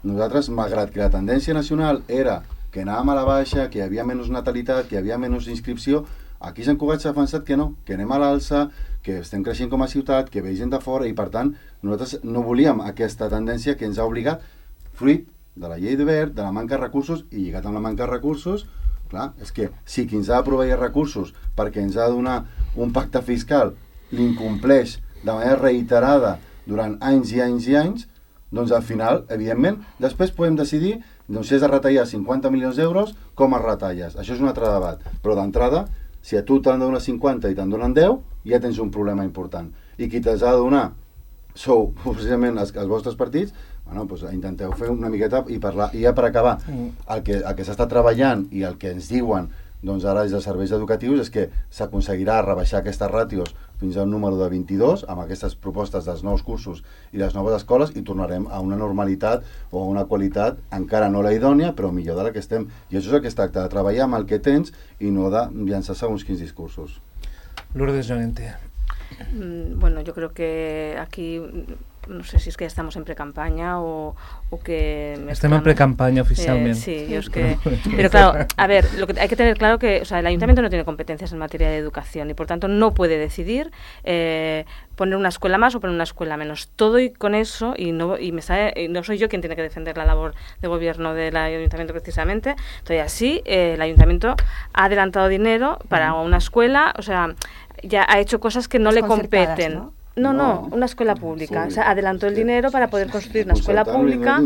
nosaltres, malgrat que la tendència nacional era que anàvem a la baixa, que hi havia menys natalitat, que hi havia menys inscripció, aquí a Sant Cugat s'ha pensat que no, que anem a l'alça, que estem creixent com a ciutat, que ve gent de fora i per tant nosaltres no volíem aquesta tendència que ens ha obligat, fruit de la llei de verd, de la manca de recursos i lligat amb la manca de recursos, clar, és que si qui ens ha de proveir recursos perquè ens ha de donar un pacte fiscal l'incompleix de manera reiterada durant anys i anys i anys, doncs al final, evidentment, després podem decidir doncs si has de retallar cinquanta milions d'euros, com es retalles? Això és un altre debat. Però d'entrada, si a tu t'han de donar cinquanta i te'n donen deu, ja tens un problema important. I qui t'has de donar sou precisament els, els vostres partits, bueno, doncs intenteu fer una miqueta i parlar. I ja per acabar, el que, el que s'està treballant i el que ens diuen doncs ara des dels serveis educatius és que s'aconseguirà rebaixar aquestes ràtios fins a un número de vint-i-dos amb aquestes propostes dels nous cursos i les noves escoles i tornarem a una normalitat o a una qualitat encara no la idònia però millor de la que estem. I això és el que es tracta, de treballar amb el que tens i no de llançar segons quins discursos. Lourdes Llorente. Mm, bueno, yo creo que aquí no sé si es que ya estamos en pre-campaña o, o que... Estamos en pre-campaña oficialmente. Eh, sí, yo es que... Pero claro, a ver, lo que hay que tener claro que, o sea, el ayuntamiento no tiene competencias en materia de educación y por tanto no puede decidir eh, poner una escuela más o poner una escuela menos. Todo y con eso, y no, y me sabe, y no soy yo quien tiene que defender la labor de gobierno del ayuntamiento precisamente, todavía así, eh, el ayuntamiento ha adelantado dinero para una escuela, o sea, ya ha hecho cosas que no le competen. ¿no? No, no, una escuela pública. Sí, o sea, adelantó el dinero para poder construir una escuela pública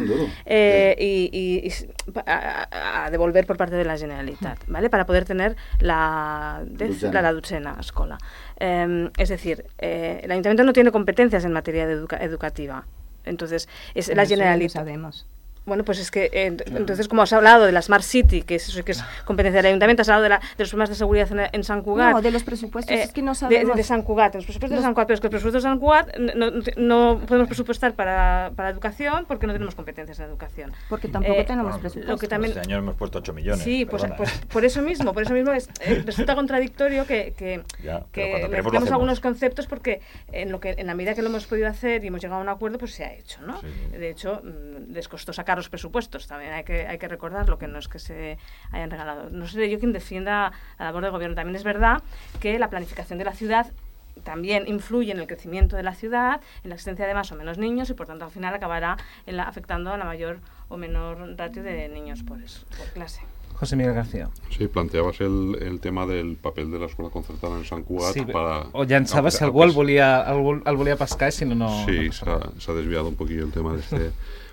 eh, y, y, y a, a devolver por parte de la Generalitat, ¿vale? Para poder tener la, la, la dotzena escola. Eh, es decir, eh, el ayuntamiento no tiene competencias en materia de educa educativa. Entonces, es Pero la eso Generalitat. ya lo sabemos. Bueno, pues es que, eh, entonces, como has hablado de la Smart City, que es, que es competencia del Ayuntamiento, has hablado de, la, de los problemas de seguridad en, en Sant Cugat. No, de los presupuestos, eh, es que no De, sabemos. de Sant Cugat, de los presupuestos los... de Sant Cugat, pero es que los presupuestos de Sant Cugat no, no, no podemos presupuestar para, para educación porque no tenemos competencias en educación. Porque tampoco eh, tenemos bueno, presupuestos. Lo que también, este año hemos puesto ocho millones. Sí, pues, pues por eso mismo, por eso mismo es, eh, resulta contradictorio que, que, ya, que mezclemos algunos conceptos porque en, lo que, en la medida que lo hemos podido hacer y hemos llegado a un acuerdo, pues se ha hecho, ¿no? Sí. De hecho, les costó sacar los presupuestos también. Hay que, hay que recordar lo que no es que se hayan regalado. No seré yo quien defienda la labor del gobierno. También es verdad que la planificación de la ciudad también influye en el crecimiento de la ciudad, en la existencia de más o menos niños y por tanto al final acabará en la, afectando a la mayor o menor ratio de niños por, eso, por clase. José Miguel García. Sí, planteabas el, el tema del papel de la escola concertada en Sant Cugat sí, para... O llançaves si algú el volia, el, el volia pescar i si no, no... Sí, no se ha desviado un poquillo el tema de este...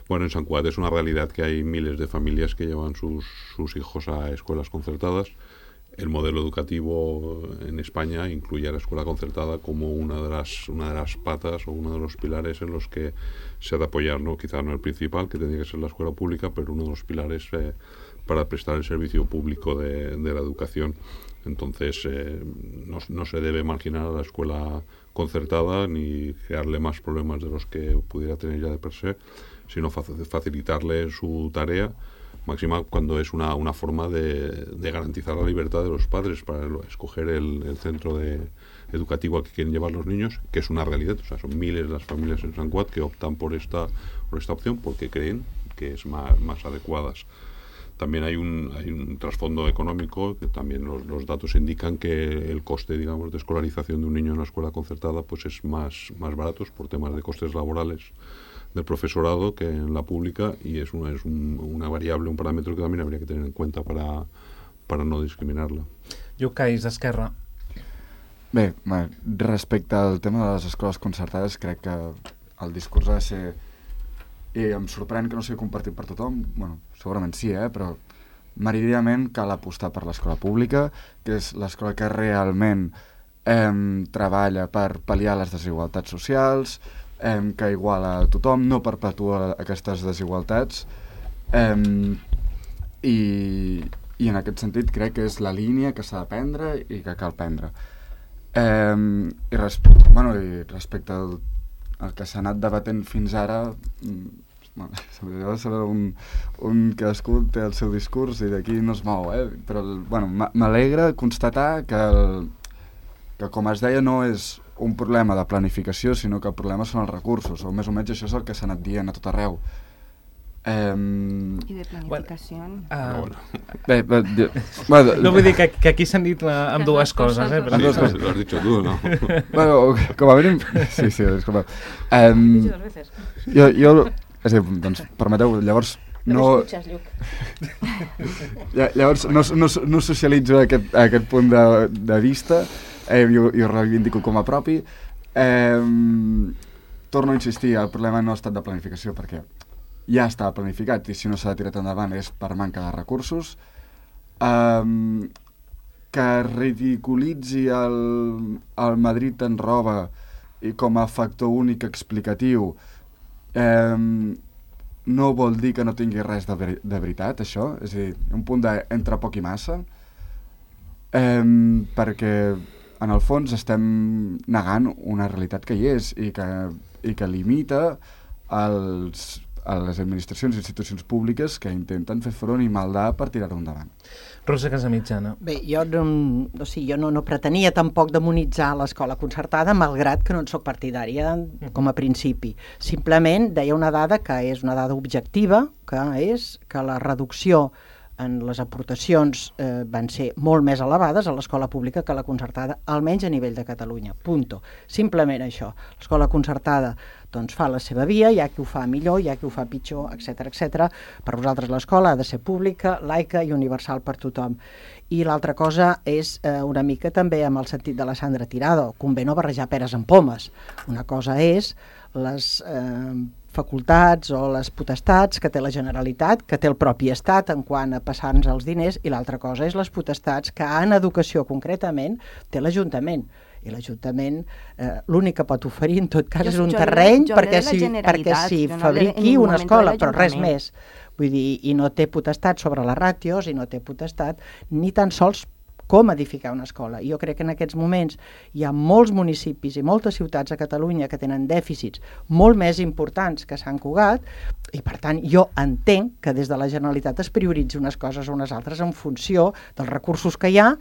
Bueno, en Sant Cugat es una realidad que hay miles de familias que llevan sus, sus hijos a escuelas concertadas. El modelo educativo en España incluye a la escuela concertada como una de las, una de las patas o uno de los pilares en los que se ha de apoyar, ¿no? Quizá no el principal, que tendría que ser la escuela pública, pero uno de los pilares eh, para prestar el servicio público de, de la educación. Entonces, eh, no, no se debe marginar a la escuela concertada ni crearle más problemas de los que pudiera tener ya de per se, sino facilitarle su tarea máxima cuando es una, una forma de, de garantizar la libertad de los padres para escoger el, el centro de, educativo al que quieren llevar los niños, que es una realidad. O sea, son miles las familias en Sant Cugat que optan por esta, por esta opción porque creen que es más, más adecuadas. También hay un, hay un trasfondo económico, que también los, los datos indican que el coste, digamos, de escolarización de un niño en una escuela concertada pues es más, más barato por temas de costes laborales del profesorado que en la pública, y es una, es un, una variable, un parámetro que también habría que tener en cuenta para, para no discriminarla. Lluc Caís, d'Esquerra. Bé, respecte al tema de les escoles concertades, crec que el discurs ha de ser, i em sorprèn que no sigui compartit per tothom, bueno, segurament sí, eh, però meridianament cal apostar per l'escola pública, que és l'escola que realment eh, treballa per pal·liar les desigualtats socials, eh, que iguala a tothom, no perpetua aquestes desigualtats, eh, i, i en aquest sentit crec que és la línia que s'ha de prendre i que cal prendre. Eh, i, res, bueno, i respecte al, al que s'ha anat debatent fins ara, bueno, un, un cadascú té el seu discurs i d'aquí no es mou, eh? Però bueno, m'alegra constatar que, el, que, com es deia, no és un problema de planificació, sinó que el problema són els recursos, o més o menys això és el que s'ha anat dient a tot arreu. Um, I de planificació? Bueno, uh, bé, bé, bé, bueno, no vull dir que, que aquí s'han dit la, amb dues coses, eh? Però sí, sí, lo has dicho tú, ¿no? Bueno, com a mínim... Sí, sí, disculpa. Um, jo, jo, és a dir, doncs, permeteu, llavors... No, llavors no, no, no socialitzo aquest, aquest punt de, de vista, eh, i, ho, i ho reivindico com a propi. Eh, torno a insistir, el problema no ha estat de planificació, perquè ja està planificat i si no s'ha tirat endavant és per manca de recursos. Um, que ridiculitzi el, el Madrid en roba i com a factor únic explicatiu um, no vol dir que no tingui res de, ver de veritat, això. És a dir, un punt de entre poc i massa, um, perquè en el fons estem negant una realitat que hi és i que, i que limita els a les administracions i institucions públiques que intenten fer front i maldar per tirar-ho endavant. Rosa Casamitjana. Bé, jo no, o sigui, jo no, no pretenia tampoc demonitzar l'escola concertada, malgrat que no en soc partidària com a principi. Simplement deia una dada que és una dada objectiva, que és que la reducció en les aportacions eh, van ser molt més elevades a l'escola pública que a la concertada, almenys a nivell de Catalunya. Punto. Simplement això. L'escola concertada doncs, fa la seva via, hi ha qui ho fa millor, hi ha qui ho fa pitjor, etcètera, etcètera. Per vosaltres l'escola ha de ser pública, laica i universal per tothom. I l'altra cosa és eh, una mica també amb el sentit de la Sandra Tirado. Convé no barrejar peres amb pomes. Una cosa és les eh, facultats o les potestats que té la Generalitat, que té el propi Estat en quant a passar-nos els diners, i l'altra cosa és les potestats que en educació concretament té l'Ajuntament. I l'Ajuntament eh, l'únic que pot oferir en tot cas jo, és un jo terreny jo perquè s'hi si no fabriqui una escola, però res més. Vull dir, i no té potestat sobre les ràtios i no té potestat ni tan sols com edificar una escola. Jo crec que en aquests moments hi ha molts municipis i moltes ciutats a Catalunya que tenen dèficits molt més importants que Sant Cugat i, per tant, jo entenc que des de la Generalitat es prioritzi unes coses o unes altres en funció dels recursos que hi ha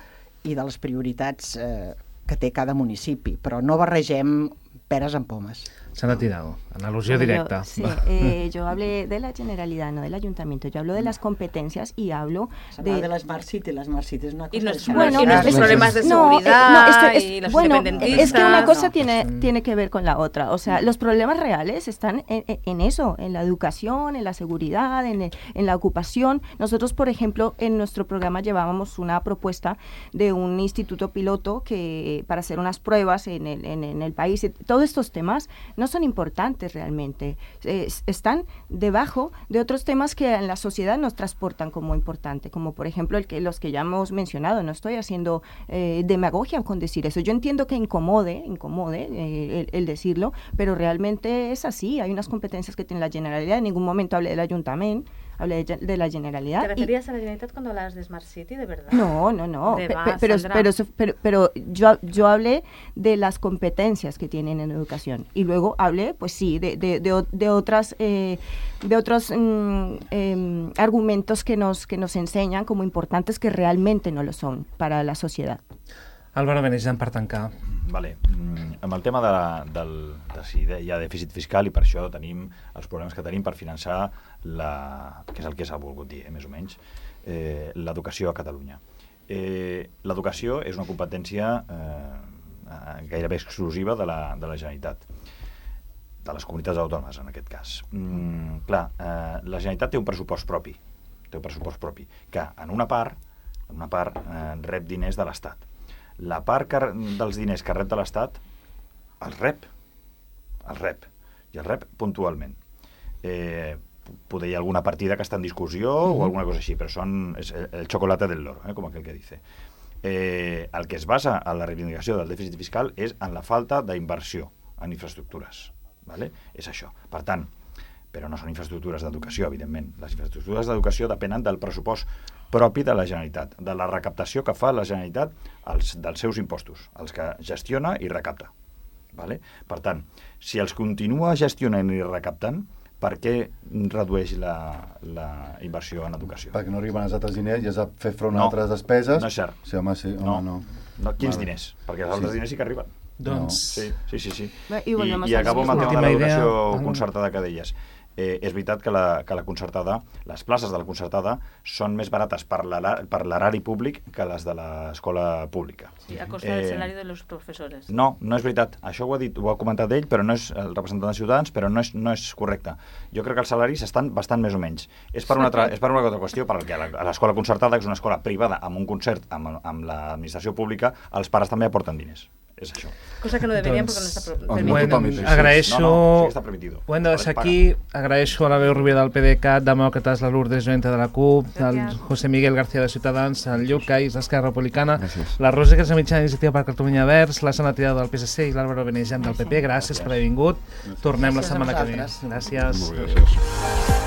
i de les prioritats eh, que té cada municipi, però no barregem peres amb pomes. Sandra Tirado, analogia directa. Yo, sí, eh, yo hablé de la Generalidad, no del Ayuntamiento. Yo hablo de las competencias y hablo de... de la Smart City, la Smart City es una cosa... Y los, bueno, y los es, problemas de no, seguridad no, es que, es, y los bueno, independentistas. es que una cosa no. tiene, tiene que ver con la otra. O sea, los problemas reales están en, en eso, en la educación, en la seguridad, en, en la ocupación. Nosotros, por ejemplo, en nuestro programa llevábamos una propuesta de un instituto piloto que para hacer unas pruebas en el, en, en el país. Todos estos temas no son importantes realmente, eh, están debajo de otros temas que en la sociedad nos transportan como importante, como por ejemplo el que, los que ya hemos mencionado. No estoy haciendo eh, demagogia con decir eso. Yo entiendo que incomode, incomode eh, el, el decirlo, pero realmente es así. Hay unas competencias que tiene la Generalidad. En ningún momento hablé del Ayuntamiento, hablé de, de la Generalidad. ¿Te referías y... a la Generalitat cuando hablas de Smart City, de verdad? No, no, no. Pe pe pero, pero, pero, pero yo, yo hablé de las competencias que tienen en educación. Y luego hablé, pues sí, de, de, de, de otras, eh, de otros mm, eh, argumentos que nos, que nos enseñan como importantes que realmente no lo son para la sociedad. Álvaro Benejam, per tancar. Vale. Mm, amb el tema de, del, de si hi ha dèficit fiscal i per això tenim els problemes que tenim per finançar la, que és el que s'ha volgut dir, eh, més o menys, eh, l'educació a Catalunya. Eh, l'educació és una competència eh, gairebé exclusiva de la, de la Generalitat, de les comunitats autònomes en aquest cas. Mm, clar, eh, la Generalitat té un pressupost propi, té un pressupost propi, que en una part, en una part eh, rep diners de l'Estat. La part que, dels diners que rep de l'Estat els rep, els rep, i els rep puntualment. Eh, poder hi ha alguna partida que està en discussió mm-hmm. o alguna cosa així, però són és el chocolate del loro, eh, com aquell que dice. Eh, el que es basa en la reivindicació del dèficit fiscal és en la falta d'inversió en infraestructures, ¿vale? És això. Per tant, però no són infraestructures d'educació, evidentment. Les infraestructures d'educació depenen del pressupost propi de la Generalitat, de la recaptació que fa la Generalitat als, dels seus impostos, els que gestiona i recapta. Vale? Per tant, si els continua gestionant i recaptant, per què redueix la, la inversió en educació? Perquè no arriben els altres diners i has de fer front a no, altres despeses. No és cert. Sí, home, sí, home, no. no. no. Quins vale. diners? Perquè els altres sí. diners sí que arriben. Doncs... Sí, sí, sí. sí. Bé, i, I, i acabo amb el tema de l'educació idea... concertada que deies. Eh, és veritat que la, que la concertada, les places de la concertada són més barates per l'erari públic que les de l'escola pública. Sí, a costa eh, del salari de los professors. No, no és veritat. Això ho ha, dit, ho ha comentat ell, però no és el representant de Ciutadans, però no és, no és correcte. Jo crec que els salaris estan bastant més o menys. És per una altra, és per una altra qüestió, perquè a l'escola concertada, que és una escola privada amb un concert amb, amb l'administració pública, els pares també aporten diners. És això. Cosa que no deberían doncs, porque no està permitido. Bueno, agraeixo... No, no, sí que està permitido. Ho hem de deixar aquí. Agraeixo a la veu Rubia del P D C A T, Demòcrates, la Lourdes Joenta de la C U P, el José Miguel García de Ciutadans, el Lluc Cais d'Esquerra Republicana, Gràcies. la Rosa Casamitjana d'Iniciativa per Catalunya Verds, la Sandra Tirado del P S C i l'Álvaro Benejam del P P. Gràcies per haver vingut. Tornem la setmana que ve. Gràcies. Gràcies.